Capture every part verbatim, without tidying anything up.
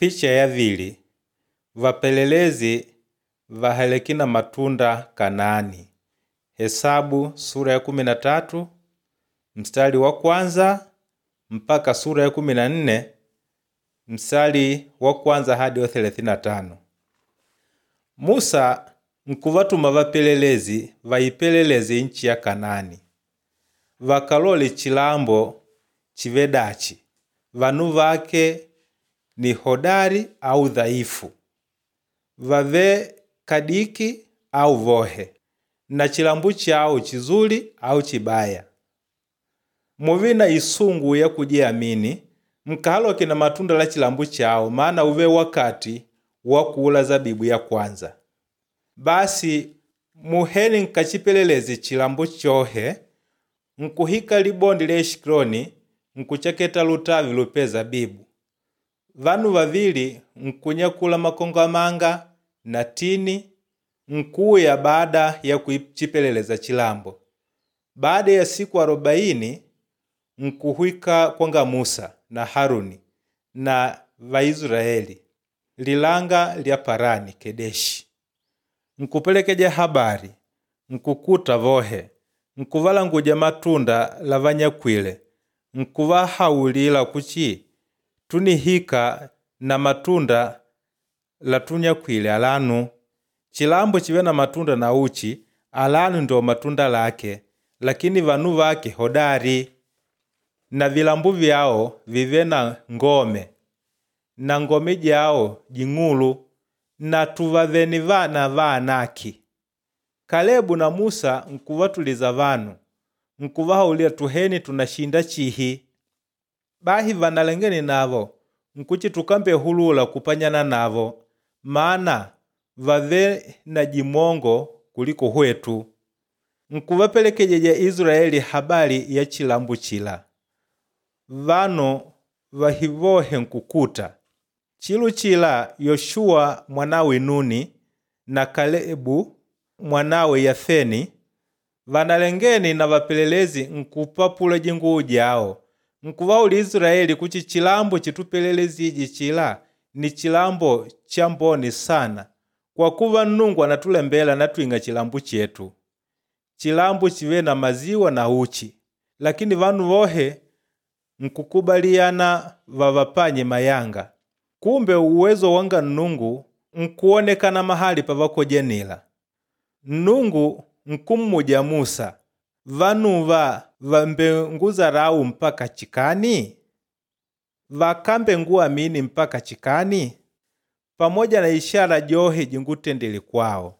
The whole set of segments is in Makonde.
Picha ya vili vapelelezi vahaleke na matunda Kanaani. Hesabu sura ya kumi na tatu mstari wa kwanza mpaka sura ya kumi na nne mstari wa kwanza hadi wa thelathini na tano. Musa nkuvatuma vapelelezi vaipeleleze nchi ya Kanaani, vakalole chilambo chive dachi, vanu vake ni hodari au dhaifu, vave kadiki au vohe, na chilambo chawo chizuli au chibaya. Muve na isungu ya kujiamini, mkahaloke na matunda la chilambo chawo, maana uve wakati wa kula zabibu ya kwanza. Basi muheni nkachipeleleze chilambo chohe, nkuhika libondi lya Eshikiloni nkucheketa lutavi lupe zabibu. Vanu vavili nkunyakula makongamanga na tini nkuya baada ya kuchipeleleza chilambo. Baada ya siku arobaini nkuhwika kwanga Musa na Haruni na Vaisraeli lilanga lya Parani Kedeshi. Nkupelekeja habari nkukuta vohe nkuvalanguja matunda la vanyakwile nkuvahaulila kuchi tunihika na matunda la tunyakwile alanu. Chilambo chive na matunda na uchi alanu ndio matunda lake, lakini vanu vake hodari na vilambu vyawo vive na ngome na ngome jawo jing'ulu na tuvaveni vana va Anaki. Kalebu na Musa nkuvatuliza vanu nkuvahaulila tuheni tunashinda chihi. Bahi vanalengene navo nkuchi tukambe hulula kupanyana navo maana vave na jimongo kuliko hwetu. Nkuvapelekejeja Israeli habari ya chilambo chila. Vanu vahivohe nkukuta. Chilu chila Yoshuwa mwanawe Nuni na Kalebu mwanawe Yafeni vanalengeni na vapelelezi nkupapula jinguwu jawo nkuvaula Israeli kuchi chilambo chitupelelezije chila ni chilambo cha mboni sana kwa kuva Nnungu anatulembela natwing'a chilambo chetu, chilambo chive na maziwa na uchi. Lakini vanu vohe nkukubaliyana vavapanye mayanga. Kumbe uwezo wanga Nnungu nkuonekana mahali pavakojenila. Nnungu nkummuja Musa, vanuva vambenguzarau mpaka chikani? Vakambe nguamini mpaka chikani? Pamoja na ishara johe jingutendele kwawo.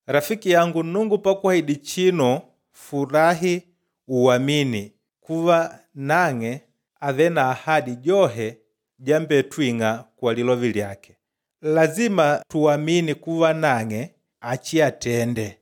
Rafiki yangu, Nnungu pakuahidi chino furahi uamini kuva nang'e ave na ahadi johe jambetwing'a kwa lilovi lyake. Lazima tuamini kuva nang'e achiyatende.